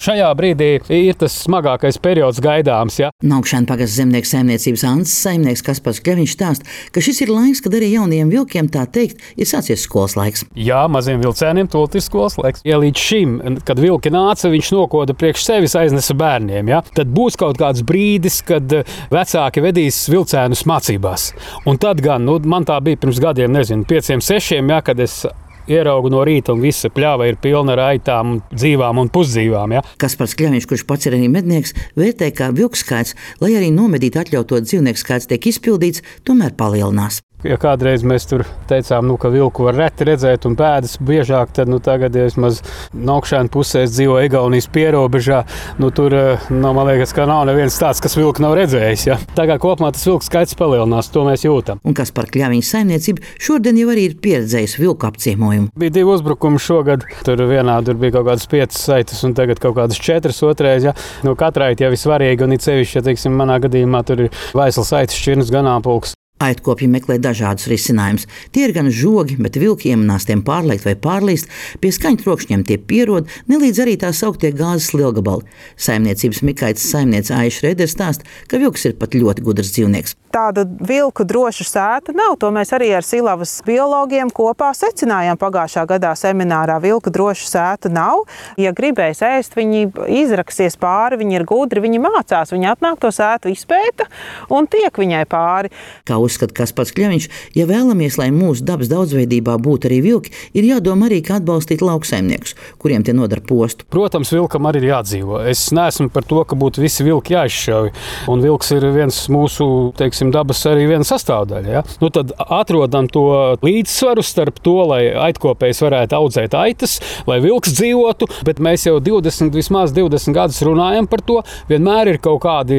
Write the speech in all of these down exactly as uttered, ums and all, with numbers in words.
Šajā brīdī ir tas smagākais periods gaidāms. Ja? Naukšēna pagasts zemnieku saimniecības Antas saimnieks Kaspars Kļaviņš stāsta, ka šis ir laiks, kad arī jaunajiem vilkiem tā teikt ir sācies skolas laiks. Jā, maziem vilcēniem tūlīt ir skolas laiks. Ja līdz šim, kad vilki nāca, viņš nokoda priekš sevis aiznesa bērniem, ja? Tad būs kaut kāds brīdis, kad vecāki vedīs vilcēnus mācībās. Un tad gan, nu, man tā bija pirms gadiem, nezinu, pieciem, sešiem, ja, kad es ieraugu no rīta un visa pļava ir pilna ar aitām, dzīvām un pusdzīvām. Ja? Kaspars Kļaviņš, kurš pats ir arī mednieks, vērtē, ka vilku skaits, lai arī nomedīt atļauto dzīvnieku skaits tiek izpildīts, tomēr palielinās. Ja kādreiz mēs tur teicām, nu, ka vilku var reti redzēt un pēdas biežāk, tad nu, tagad, ja vismaz Naukšēna pusē dzīvo Igaunijas pierobežā, nu, tur, nu, man liekas, ka nav neviens tāds, kas vilku nav redzējis. Ja? Tagad kopumā tas vilku skaits palielinās, to mēs jūtam. Un Kaspara Kļaviņa saimniecība šodien jau arī ir pieredzējusi vilku apciemojumu. Bija divi uzbrukumi šogad. Tur vienā tur bija kaut kādas piecas saitas un tagad kaut kādas četras otrais. Ja? Nu, katrai jau ir svarīgi un it sevišķi, ja, teiksim, manā gadījumā tur ir vaislas saitas, šķirnes, ganāmpulks. Aitkopji meklē dažādus risinājumus. Tie ir gan žogi, bet vilki iemanās tiem pārlekt vai pārlīst. Pie skaņu trokšņiem tie pierod, nelīdz arī tā sauktie gāzes lielgabali. Saimniecības Mikaitas saimniece Aiša Redere stāsta, ka vilks ir pat ļoti gudrs dzīvnieks. Tāda vilku droša sēta nav. To mēs arī ar Silavas biologiem kopā secinājām pagājušā gadā seminārā. Vilku droša sēta nav. Ja gribēs ēst, viņi izraksies pāri, viņi ir gudri, viņi mācās, viņi atnāk to sētu izpēta un tiek viņai pāri. Kā uzskata Kaspars Kļaviņš, ja vēlamies, lai mūsu dabas daudzveidībā būtu arī vilki, ir jādomā arī, kā atbalstīt lauksaimniekus, kuriem tie nodara postu. Protams, vilkam arī ir jādzīvo. Es neesmu par to, ka būtu visi vilki jāizšauj. Un vilks ir viens mūsu, teiksim, dabas arī viena sastāvdaļa. Ja? Nu, tad atrodam to līdzsvaru starp to, lai aitkopējs varētu audzēt aitas, lai vilks dzīvotu, bet mēs jau divdesmit, vismaz divdesmit gadus runājam par to. Vienmēr ir kaut kādi,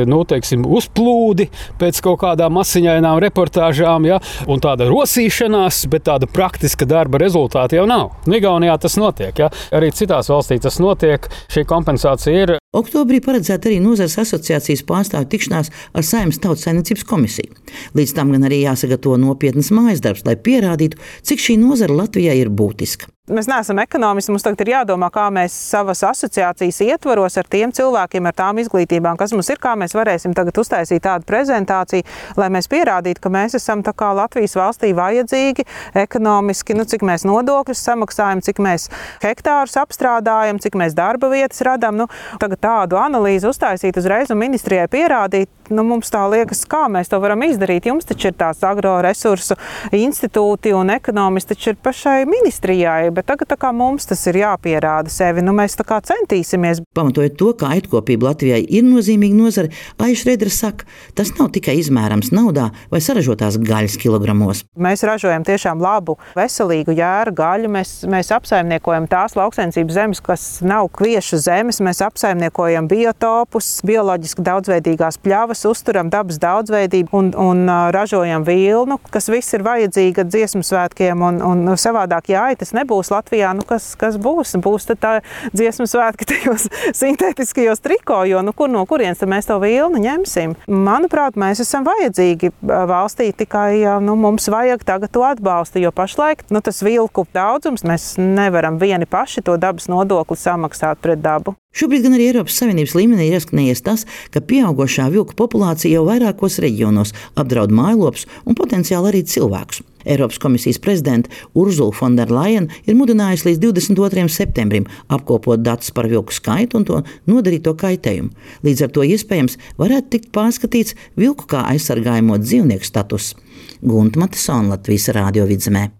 nu, teiksim, uzplūdi pēc kaut kādām asiņainām reportāžām, ja? Un tāda rosīšanās, bet tāda praktiska darba rezultāta jau nav. Igaunijā tas notiek, ja? Arī citās valstīs tas notiek. Šī kompensācija ir. Oktobrī paredzēta arī nozares asociācijas pārstāvju tikšanās ar Saeimas Tautsaimniecības komisiju. Līdz tam gan arī jāsagatavo nopietnas mājas darbs, lai pierādītu, cik šī nozara Latvijā ir būtiska. Mēs neesam ekonomisti, mums tagad ir jādomā, kā mēs savas asociācijas ietvaros ar tiem cilvēkiem, ar tām izglītībām, kas mums ir, kā mēs varēsim tagad uztaisīt tādu prezentāciju, lai mēs pierādītu, ka mēs esam tā kā Latvijas valstī vajadzīgi ekonomiski, nu, cik mēs nodokļus samaksājam, cik mēs hektārus apstrādājam, cik mēs darba vietas radām. Nu, tagad tādu analīzi uztaisīt uzreiz un ministrijai pierādīt, nu, mums tā liekas, kā mēs to varam izdarīt. Jums taču ir tās agroresursu institūti un ekonomisti taču ir pašai ministrijai. Bet tagad tā kā mums tas ir jāpierāda sevi, nu mēs tā kā centīsimies. Pamatojot to, ka aitkopība Latvijai ir nozīmīga nozare, Aiša Redere saka, tas nav tikai izmērams naudā vai saražotās gaļas kilogramos. Mēs ražojam tiešām labu, veselīgu jēru gaļu, mēs, mēs apsaimniekojam tās lauksaimniecības zemes, kas nav kviešu zemes, mēs apsaimniekojam biotopus, bioloģiski daudzveidīgās pļavas, uzturam dabas daudzveidību un, un uh, ražojam vilnu, kas viss ir vajadzīga dziesmu svētkiem un, un savādāk jāi, tas nebūs Latvijā, nu kas, kas būs? Būs tad tā dziesmu svētki tajos sintētiskajos triko, jo nu kur no kurienes tad mēs to vilnu ņemsim? Manuprāt, mēs esam vajadzīgi valstī, tikai nu, mums vajag tagad to atbalstu, jo pašlaik nu, tas vilku daudzums, mēs nevaram vieni paši to dabas nodokli samaksāt pret dabu. Šobrīd gan arī Eiropas Savienības līmenī ir ieskanējies tas, ka pieaugošā vilku populācija jau vairākos reģionos apdraud mājlopus un potenciāli arī cilvēkus. Eiropas komisijas prezidente Urzula von der Leyen ir mudinājusi līdz divdesmit otrajam septembrim apkopot datus par vilku skaitu un to nodarīto kaitējumu. Līdz ar to iespējams varētu tikt pārskatīts vilku kā aizsargājamo dzīvnieku status. Gunta Matesona, Latvijas Rādio Vidzemē.